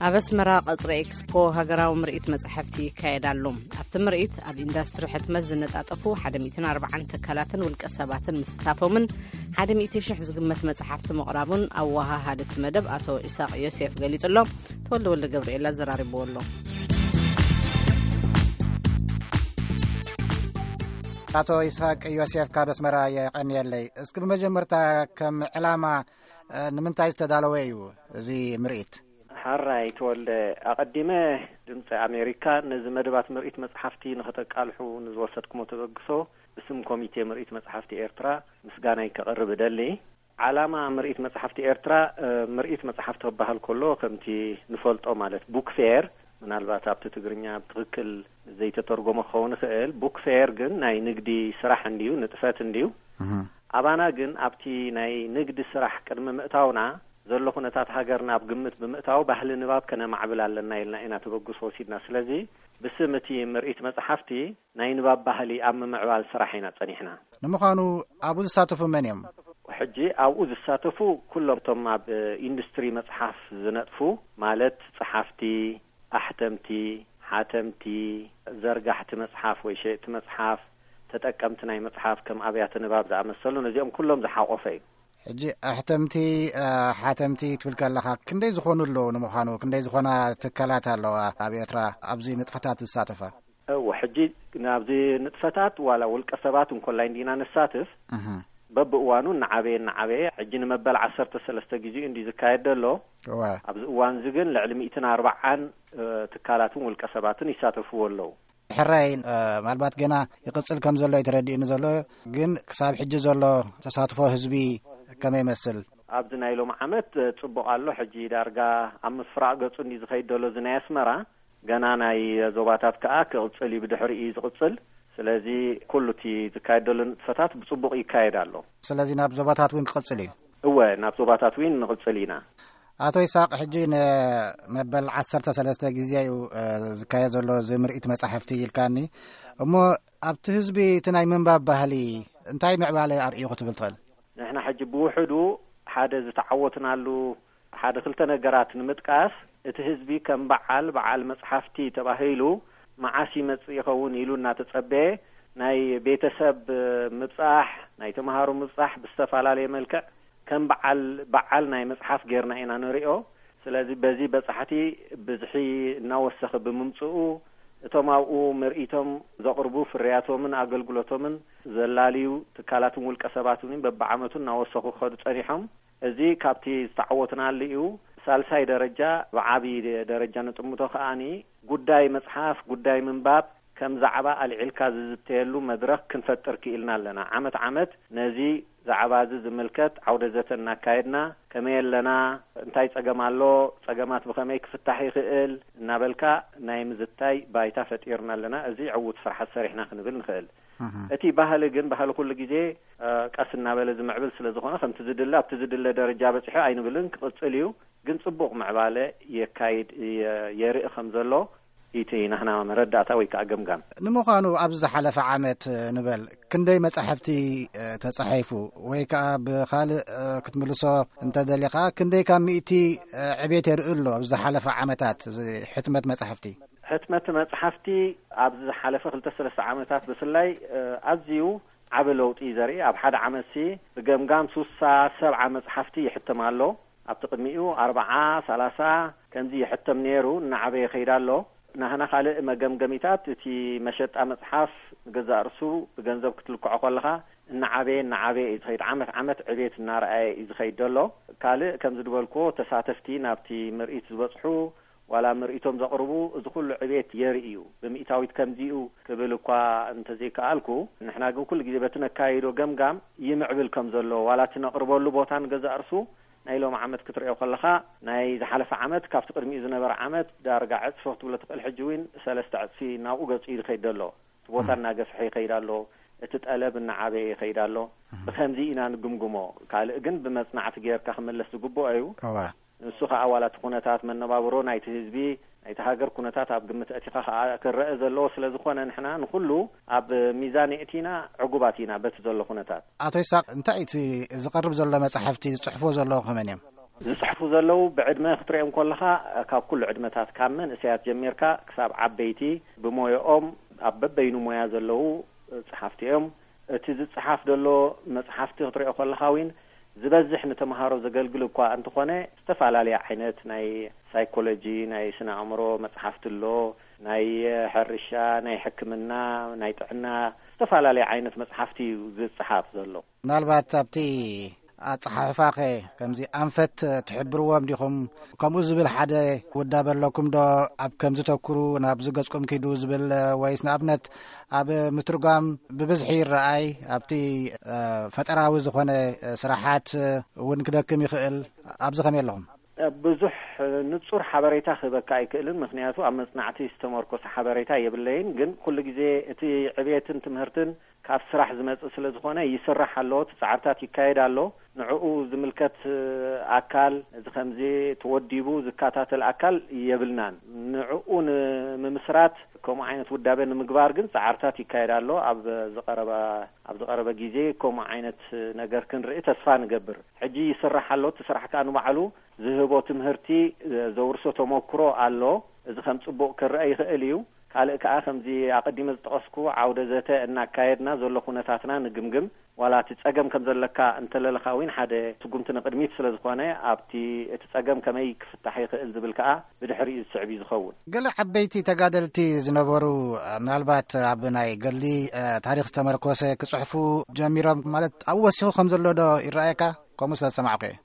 ኣብ ኣስመራ ቀጽሪ ኤክስፖ ሃገራዊ ምርኢት መጻሕፍቲ ይካየድ ኣሎ። ኣብቲ ምርኢት ኣብ ኢንዳስትሪ ሕትመት ዝነጣጠፉ ሓደ ሚእትን ኣርባዓን ትካላትን ውልቀ ሰባትን ምስታፎምን ሓደ ሚእቲ ሽሕ ዝግመት መጻሕፍቲ ምቕራቡን ኣወሃሃዲ እቲ መደብ ኣቶ ኢሳቕ ዮሴፍ ገሊጹ ኣሎ። ተወልደ ወልደ ገብርኤል ኣዘራሪብዎ ኣሎ። ኣቶ ይስሐቅ ዮሴፍ ካብ ኣስመራ የቐንየለይ። እስኪ ብመጀመርታ ከም ዕላማ፣ እ፣ ንምንታይ ዝተዳለወ እዩ እዚ ምርኢት? ሓራይ ተወልደ፣ ኣቐዲመ ድምፂ ኣሜሪካ ነዚ መደባት ምርኢት መፅሓፍቲ ንኸተቃልሑ ንዝወሰድኩሞ ተበግሶ ብስም ኮሚቴ ምርኢት መፅሓፍቲ ኤርትራ ምስጋናይ ከቕርብ እደሊ። ዓላማ ምርኢት መጽሓፍቲ ኤርትራ፣ እ፣ ምርኢት መጽሓፍቲ ክበሃል ከሎ፣ ከምቲ ንፈልጦ ማለት ቡክ ፌር፣ ምናልባት ኣብቲ ትግርኛ ብትኽክል ዘይተተርጎመ ክኸውን ይኽእል። ቡክ ፌር ግን ናይ ንግዲ ስራሕ እንድዩ፣ ንጥፈት እንድዩ። እህ። ኣባና ግን ኣብቲ ናይ ንግዲ ስራሕ ቅድሚ ምእታውና ዘሎ ኩነታት ሃገርና ኣብ ግምት ብምእታው፣ ባህሊ ንባብ ከነማዕብል ኣለና ኢልና ኢና ተበግሶ ወሲድና። ስለዚ ብስም እቲ ምርኢት መጽሓፍቲ ናይ ንባብ ባህሊ ኣብ ምምዕባል ስራሕ ኢና ጸኒሕና። ንምዃኑ ኣብኡ ዝሳተፉ መን እዮም? ሕጂ ኣብኡ ዝሳተፉ ኩሎም እቶም ኣብ ኢንዱስትሪ መጽሓፍ ዝነጥፉ፣ ማለት ጸሓፍቲ፣ ኣሕተምቲ፣ ሓተምቲ፣ ዘርጋሕቲ መጽሓፍ ወይ ሸየጥቲ መጽሓፍ፣ ተጠቀምቲ ናይ መጽሓፍ ከም ኣብያተ ንባብ ዝኣመሰሉ፣ ነዚኦም ኩሎም ዝሓቖፈ እዩ። ሕጂ ኣሕተምቲ፣ እ፣ ሓተምቲ ትብል ከለኻ ክንደይ ዝኾኑ ኣለዉ? ንምዃኑ ክንደይ ዝኾና ትካላት ኣለዋ ኣብ ኤርትራ ኣብዚ ንጥፈታት ዝሳተፋ? እወ፣ ሕጂ ናብዚ ንጥፈታት ዋላ ውልቀ ሰባት እንኮላይ እንዲና ንሳትፍ፣ እህ። በብእዋኑ እናዓበየ እናዓበየ፣ ሕጂ ንመበል ዓሰርተ ሰለስተ ግዜኡ እንዲ ዝካየድ ዘሎ። እወ። ኣብዚ እዋን እዚ ግን ልዕሊ ሚእትን ኣርባዓን፣ እ፣ ትካላትን ውልቀ ሰባትን ይሳተፍዎ ኣለዉ። ሕራይ፣ እ፣ ምናልባት ገና ይቕጽል ከም ዘሎ እዩ ተረዲእኒ ዘሎ፣ ግን ክሳብ ሕጂ ዘሎ ተሳትፎ ህዝቢ ከመይ ይመስል? ኣብዚ ናይ ሎም ዓመት፣ እ፣ ጽቡቕ ኣሎ። ሕጂ ዳርጋ ኣብ ምፍራቕ ገጹ እንዲ ዝኸይድ ዘሎ እዚ ናይ ኣስመራ፣ ገና ናይ ዞባታት ከኣ ክቕጽል እዩ፣ ብድሕሪኡ እዩ ዝቕጽል። ስለዚ ኩሉ እቲ ዝካየድ ዘሎ ንጥፈታት ብጽቡቕ ይካየድ ኣሎ። ስለዚ ናብ ዞባታት እውን ክቕጽል እዩ? እወ፣ ናብ ዞባታት እውን ንቕጽል ኢና። ኣቶ ይስሐቅ፣ ሕጂ ንመበል ዓሰርተ ሰለስተ ግዜ እዩ፣ እ፣ ዝካየድ ዘሎ እዚ ምርኢት መጻሕፍቲ ኢልካኒ። እሞ ኣብቲ ህዝቢ እቲ ናይ ምንባብ ባህሊ እንታይ ምዕባለ ኣርእዩ ክትብል ትኽእል? ንሕና ሕጂ ብውሕዱ ሓደ ዝተዓወትናሉ ሓደ ክልተ ነገራት ንምጥቃስ፣ እቲ ህዝቢ ከም በዓል፣ በዓል መጽሓፍቲ ተባሂሉ መዓስ ይመጽእ ይኸውን ኢሉ እናተጸበየ፣ ናይ ቤተሰብ ምብጻሕ፣ ናይ ተምሃሮ ምብጻሕ ብዝተፈላለየ መልክዕ ከም በዓል፣ በዓል ናይ መጽሓፍ ጌርና ኢና ንሪኦ። ስለዚ በዚ በጻሕቲ ብዝሒ እናወሰኸ ብምምጽኡ፣ እቶም ኣብኡ ምርኢቶም ዘቕርቡ ፍርያቶምን ኣገልግሎቶምን ዘላልዩ ትካላትን ውልቀ ሰባትን እውን በብዓመቱ እናወሰኹ ክኸዱ ጸኒሖም። እዚ ካብቲ ዝተዓወትናሉ እዩ። ሳልሳይ ደረጃ ብዓቢ ደረጃ ንጥምቶ ከኣኒ ጉዳይ መጽሓፍ፣ ጉዳይ ምንባብ ከም ዛዕባ ኣልዒልካ ዝዝተየሉ መድረኽ ክንፈጥር ክኢልና ኣለና። ዓመት ዓመት ነዚ ዛዕባ እዚ ዝምልከት ዓውደ ዘተ እናካየድና፣ ከመይ ኣለና፣ እንታይ ጸገም ኣሎ፣ ጸገማት ብኸመይ ክፍታሕ ይኽእል እናበልካ ናይ ምዝታይ ባይታ ፈጢርና ኣለና። እዚ ዕዉት ስራሓት ሰሪሕና ክንብል ንኽእል። እህ። እቲ ባህሊ ግን፣ ባህሊ ኩሉ ግዜ፣ እ፣ ቀስ እናበለ ዝምዕብል ስለ ዝኾነ፣ ከምቲ ዝድለ፣ ኣብቲ ዝድለ ደረጃ በጺሑ ኣይንብልን፣ ክቕጽል እዩ። ግን ጽቡቕ ምዕባለ የካይድ፣ የ-፣ የርኢ ከም ዘሎ፣ እቲ ናህና መረዳእታ ወይ ከዓ ገምጋም። ንምዃኑ ኣብዚ ዝሓለፈ ዓመት፣ እ፣ ንበል፣ ክንደይ መጻሕፍቲ፣ እ፣ ተጻሒፉ? ወይ ከዓ ብኻልእ፣ እ፣ ክትምልሶ እንተደሊኻ፣ ክንደይ ካብ ሚእቲ፣ እ፣ ዕቤት የርኢ ኣሎ ኣብዚ ዝሓለፈ ዓመታት እዚ ሕትመት መጻሕፍቲ? ሕትመት መጽሓፍቲ ኣብዚ ዝሓለፈ ክልተ ሰለስተ ዓመታት ብፍላይ፣ እ፣ ኣዝዩ ዓቢ ለውጢ እዩ ዘርኢ። ኣብ ሓደ ዓመትሲ ብገምጋም ሱሳ ሰብዓ መጽሓፍቲ ይሕተም ኣሎ። ኣብቲ ቅድሚኡ ኣርብዓ፣ ሰላሳ ከምዚ ይሕተም ነይሩ፣ እናዓበየ ይኸይድ ኣሎ። ናህና ካልእ መገምገሚታት፣ እቲ መሸጣ መጽሓፍ ንገዛእ ርእሱ ብገንዘብ ክትልክዖ ከለኻ እናዓበየ፣ እናዓበየ እዩ ዝኸይድ። ዓመት ዓመት ዕቤት እናረኣየ እዩ ዝኸይድ ዘሎ። ካልእ ከምዚ ዝበልክዎ፣ ተሳተፍቲ ናብቲ ምርኢት ዝበጽሑ፣ ዋላ ምርኢቶም ዘቕርቡ፣ እዚ ኩሉ ዕቤት የርኢ እዩ። ብሚእታዊት ከምዚኡ ክብል እኳ እንተዘይከኣልኩ፣ ንሕና ግን ኩሉ ግዜ በቲ ነካይዶ ገምጋም ይምዕብል ከም ዘሎ፣ ዋላ እቲ ነቕርበሉ ቦታ ንገዛእ ርእሱ ናይ ሎም ዓመት ክትርእዮ ከለኻ፣ ናይ ዝሓለፈ ዓመት ካብቲ ቅድሚኡ ዝነበረ ዓመት ዳርጋ ዕጽፊ ክትብሎ ትኽእል። ሕጂ እውን ሰለስተ ዕጽፊ ናብኡ ገጹ እዩ ዝኸይድ ዘሎ። እቲ ቦታ እናገፍሐ ይኸይድ ኣሎ፣ እቲ ጠለብ እናዓበየ ይኸይድ ኣሎ። ብኸምዚ ኢና ንግምግሞ። ካልእ ግን ብመጽናዕቲ ጌርካ ክምለስ ዝግብኦ እዩ። እዋ። ንሱ ኸኣ ዋላ እቲ ኩነታት መነባብሮ ናይቲ ህዝቢ፣ ናይቲ ሃገር ኩነታት ኣብ ግምት ኣእቲኻ ኸኣ ክረአ ዘለዎ ስለ ዝኾነ፣ ንሕና ንኹሉ ኣብ ሚዛን የእቲና ዕጉባት ኢና በቲ ዘሎ ኩነታት። ኣቶ ይስሐቅ፣ እንታይ እቲ ዝቐርብ ዘሎ መጻሕፍቲ ዝጽሕፍዎ ዘለዉ ከመን እዮም? ዝጽሕፉ ዘለዉ ብዕድመ ክትሪኦም ከለኻ፣ ካብ ኩሉ ዕድመታት፣ ካብ መንእሰያት ጀሚርካ ክሳብ ዓበይቲ፣ ብሞያኦም ኣብ በበይኑ ሞያ ዘለዉ ጸሓፍቲ እዮም። እቲ ዝጸሓፍ ዘሎ መጽሓፍቲ ክትሪኦ ከለኻ እውን ዝበዝሕ ንተምሃሮ ዘገልግል እኳ እንተኾነ፣ ዝተፈላለየ ዓይነት ናይ ሳይኮሎጂ፣ ናይ ስነ ኣእምሮ መጽሓፍቲ ኣሎ፣ ናይ ሕርሻ፣ ናይ ሕክምና፣ ናይ ጥዕና፣ ዝተፈላለየ ዓይነት መጽሓፍቲ እዩ ዝጸሓፍ ዘሎ። ምናልባት ኣብቲ ኣጸሓሕፋኸ ከምዚ ኣንፈት ትሕብርዎም ዲኹም? ከምኡ ዝብል ሓደ ውዳበ ኣለኩም ዶ? ኣብ ከምዚ ተኩሩ፣ ናብዚ ገጽኩም ኪዱ ዝብል፣ ወይስ ንኣብነት ኣብ ምትርጓም ብብዝሒ ይረኣይ፣ ኣብቲ፣ እ፣ ፈጠራዊ ዝኾነ፣ እ፣ ስራሓት፣ እ፣ እውን ክደክም ይኽእል። ኣብዚ ከመይ ኣለኹም? ብዙሕ ንጹር ሓበሬታ ክህበካ ኣይክእልን፣ ምኽንያቱ ኣብ መጽናዕቲ ዝተመርኮሰ ሓበሬታ የብለይን። ግን ኩሉ ግዜ እቲ ዕብየትን ትምህርትን ካብ ስራሕ ዝመጽእ ስለ ዝኾነ፣ ይስራሕ ኣሎ፣ እቲ ጻዕርታት ይካየድ ኣሎ። ንዕኡ ዝምልከት ኣካል፣ እዚ ከምዚ ተወዲቡ ዝከታተል ኣካል የብልናን። ንዕኡ ንምምስራት፣ ከምኡ ዓይነት ውዳበ ንምግባር ግን ጻዕርታት ይካየድ ኣሎ። ኣብ ዝቐረበ፣ ኣብ ዝቐረበ ግዜ ከምኡ ዓይነት ነገር ክንርኢ ተስፋ ንገብር። ሕጂ ይስራሕ ኣሎ። እቲ ስራሕ ከኣ ንባዕሉ ዝህቦ ትምህርቲ፣ ዘውርሶ ተመክሮ ኣሎ። እዚ ከም ጽቡቕ ክረአ ይኽእል እዩ። ካልእ ከኣ፣ ከምዚ ኣቐዲመ ዝጠቐስኩ፣ ዓውደ ዘተ እናካየድና ዘሎ ኩነታትና ንግምግም። ዋላ እቲ ጸገም ከም ዘለካ እንተለለኻ እውን፣ ሓደ ስጉምቲ ንቕድሚት ስለ ዝኾነ፣ ኣብቲ፣ እቲ ጸገም ከመይ ክፍታሕ ይኽእል ዝብል ከኣ ብድሕሪኡ ዝስዕብ እዩ ዝኸውን። ገለ ዓበይቲ ተጋደልቲ ዝነበሩ፣ ምናልባት ኣብ ናይ ገድሊ፣ እ፣ ታሪኽ ዝተመርኮሰ ክጽሕፉ ጀሚሮም፣ ማለት ኣብኡ ወሲኹ ከም ዘሎ ዶ ይረኣየካ? ከምኡ ስለ ዝሰማዕኩ እየ።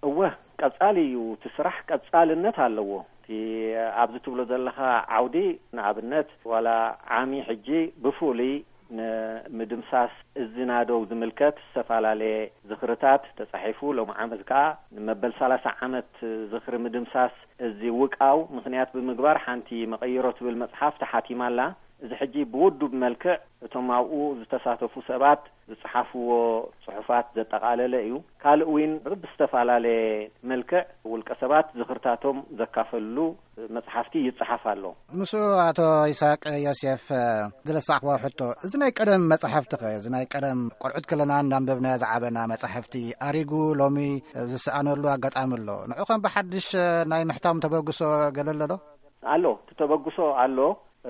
እወ፣ ቀጻሊ እዩ። እቲ ስራሕ ቀጻልነት ኣለዎ። እቲ ኣብዚ ትብሎ ዘለኻ ዓውዲ፣ ንኣብነት፣ ዋላ ዓሚ ሕጂ ብፍሉይ ንምድምሳስ እዚ ናደው ዝምልከት ዝተፈላለየ ዝኽርታት ተጻሒፉ፣ ሎም ዓመት ከኣ ንመበል ሰላሳ ዓመት ዝኽሪ ምድምሳስ እዚ ውቃው ምኽንያት ብምግባር፣ ሓንቲ መቐይሮ ትብል መጽሓፍ ተሓቲማ ኣላ። እዚ ሕጂ ብውዱብ መልክዕ እቶም ኣብኡ ዝተሳተፉ ሰባት ዝጸሓፍዎ ጽሑፋት ዘጠቓለለ እዩ። ካልእ እውን ብዝተፈላለየ መልክዕ ውልቀ ሰባት ዝኽርታቶም ዘካፈልሉ መጽሓፍቲ ይጸሓፍ ኣሎ። ምስኡ፣ ኣቶ ይስሐቅ ዮሴፍ፣ ዝለሳዕኽዎ ሕቶ፣ እዚ ናይ ቀደም መጻሕፍቲ ኸ፣ እዚ ናይ ቀደም ቆልዑት ከለና እናንበብናዮ ዝዓበና መጻሕፍቲ ኣሪጉ ሎሚ ዝሰኣነሉ ኣጋጣሚ ኣሎ። ንዑ ኸም ብሓድሽ ናይ ምሕታም ተበግሶ ገለ ኣሎ ዶ? ኣሎ፣ እቲ ተበግሶ ኣሎ።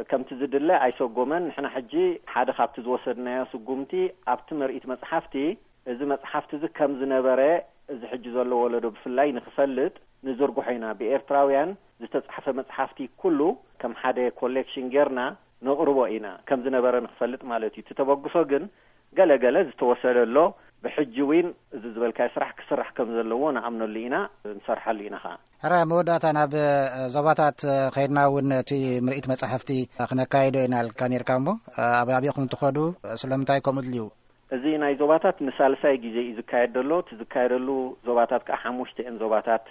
ከምቲ ዝድለ ኣይሰጎመን። ንሕና ሕጂ ሓደ ካብቲ ዝወሰድናዮ ስጉምቲ፣ ኣብቲ ምርኢት መጽሓፍቲ፣ እዚ መጽሓፍቲ እዚ ከም ዝነበረ፣ እዚ ሕጂ ዘሎ ወለዶ ብፍላይ ንክፈልጥ ንዝርግሖ ኢና። ብኤርትራውያን ዝተጻሕፈ መጽሓፍቲ ኩሉ ከም ሓደ ኮሌክሽን ጌርና ነቕርቦ ኢና፣ ከም ዝነበረ ንክፈልጥ ማለት እዩ። እቲ ተበግሶ ግን ገለ ገለ ዝተወሰደ ኣሎ። ብሕጂ እውን እዚ ዝበልካዮ ስራሕ ክስራሕ ከም ዘለዎ ንኣምነሉ ኢና፣ ንሰርሓሉ ኢና ኸዓ። ሕራይ፣ መወዳእታ ናብ፣ እ፣ ዞባታት፣ እ፣ ኸይድና እውን እቲ ምርኢት መጻሕፍቲ ክነካይዶ ኢና ኢልካ ኔርካ እሞ፣ እ፣ ኣብ ኣበይ ኢኹም ትኸዱ? ስለምንታይ ከምኡ ድልዩ? እዚ ናይ ዞባታት ንሳልሳይ ግዜ እዩ ዝካየድ ዘሎ። እቲ ዝካየደሉ ዞባታት ከኣ ሓሙሽተ እየን ዞባታት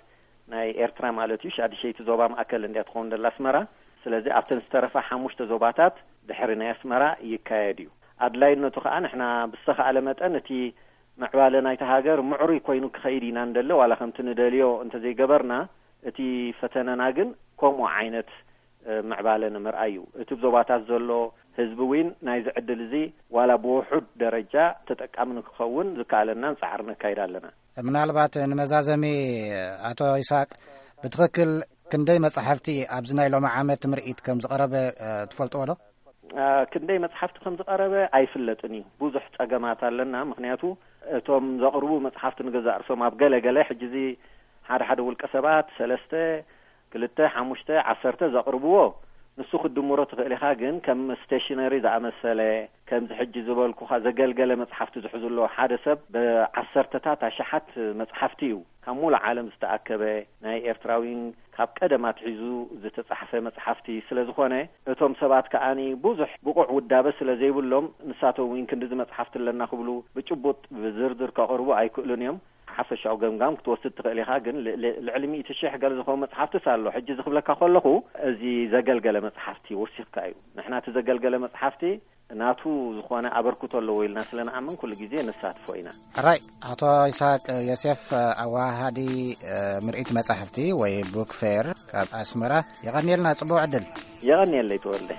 ናይ ኤርትራ ማለት እዩ። ሻድሸይቲ ዞባ ማእከል እንድያ ትኸውን ደላ ኣስመራ። ስለዚ ኣብተን ዝተረፋ ሓሙሽተ ዞባታት ድሕሪ ናይ ኣስመራ ይካየድ እዩ። ኣድላይነቱ ከኣ ንሕና ብዝተኻእለ መጠን እቲ ምዕባለ ናይቲ ሃገር ምዕሩይ ኮይኑ ክኸይድ ኢና ንደሊ። ዋላ ከምቲ ንደልዮ እንተዘይገበርና፣ እቲ ፈተነና ግን ከምኡ ዓይነት፣ እ፣ ምዕባለ ንምርኣይ እዩ። እቲ ብ ዞባታት ዘሎ ህዝቢ እውን ናይዚ ዕድል እዚ ዋላ ብውሑድ ደረጃ ተጠቃሚ ንክኸውን ዝከኣለናን ጻዕሪ ነካይድ ኣለና። ምናልባት ንመዛዘሚ፣ ኣቶ ይስሐቅ፣ ብትኽክል ክንደይ መጻሕፍቲ ኣብዚ ናይ ሎሚ ዓመት ምርኢት ከም ዝቐረበ፣ እ፣ ትፈልጥዎ ዶ? እ፣ ክንደይ መጽሓፍቲ ከም ዝቐረበ ኣይፍለጥን እዩ። ብዙሕ ጸገማት ኣለና። ምኽንያቱ እቶም ዘቕርቡ መጽሓፍቲ ንገዛእ ርእሶም ኣብ ገለ ገለ፣ ሕጂ እዚ ሓደ ሓደ ውልቀ ሰባት ሰለስተ፣ ክልተ፣ ሓሙሽተ፣ ዓሰርተ ዘቕርብዎ፣ ንሱ ክትድምሮ ትኽእል ኢኻ። ግን ከም ስቴሽነሪ ዝኣመሰለ፣ ከምዚ ሕጂ ዝበልኩኻ ዘገልገለ መጽሓፍቲ ዝሕዙ ኣለዉ። ሓደ ሰብ ብዓሰርተታት ኣሽሓት መጽሓፍቲ እዩ ካብ ሙሉእ ዓለም ዝተኣከበ፣ ናይ ኤርትራዊን ካብ ቀደም ኣትሒዙ ዝተጻሕፈ መጽሓፍቲ ስለ ዝኾነ፣ እቶም ሰባት ከኣኒ ብዙሕ ብቑዕ ውዳበ ስለ ዘይብሎም፣ ንሳቶም እውን ክንድዚ መጽሓፍቲ ኣለና ክብሉ ብጭቡጥ ብዝርዝር ከቕርቡ ኣይክእሉን እዮም። ሓፈሻዊ ገምጋም ክትወስድ ትኽእል ኢኻ፣ ግን ል-፣ ል-፣ ልዕሊ ሚእቲ ሽሕ ገለ ዝኾኑ መጽሓፍትስ ኣሎ። ሕጂ እዚ ክብለካ ከለኹ፣ እዚ ዘገልገለ መጽሓፍቲ ወሲኽካ እዩ። ንሕና እቲ ዘገልገለ መጽሓፍቲ ናቱ ዝኾነ ኣበርክቶ ኣለዎ ኢልና ስለ ንኣምን፣ ኩሉ ግዜ ነሳትፎ ኢና። ሕራይ፣ ኣቶ ይስሐቅ ዮሴፍ፣ ኣወሃሃዲ፣ እ፣ ምርኢት መጻሕፍቲ ወይ ቡክ ፌር ካብ ኣስመራ፣ የቐንየልና፣ ጽቡቕ ዕድል። የቐንየለይ ተወልደ።